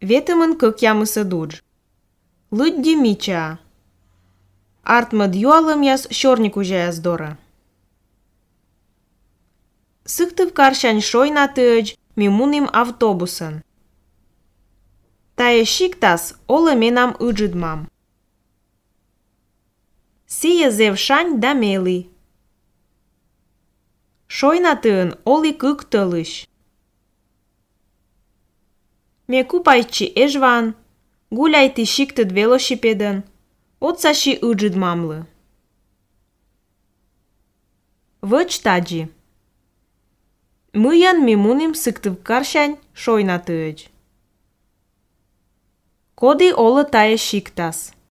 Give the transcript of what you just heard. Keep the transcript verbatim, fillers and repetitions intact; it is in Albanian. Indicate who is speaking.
Speaker 1: Vetëmën кык ямысы дудж. Лыдди мичаа. Артмыд юалымяс шорник ужаяс дора. Сыктывкарщань шойнатыыдж мимуним автобусын. Тае шиктас олы менам ыджыдмам. Сие зев шань да мели. Шойнатыын оли кык тылыщ. Мекупайчи эжван, гуляйти шиктыд велосипедын, оцаши ыджыдмамлы. Выч таджи. Мыян мимуним Сыктывкарщань шойнатыыдж. Коди олы тае шиктас.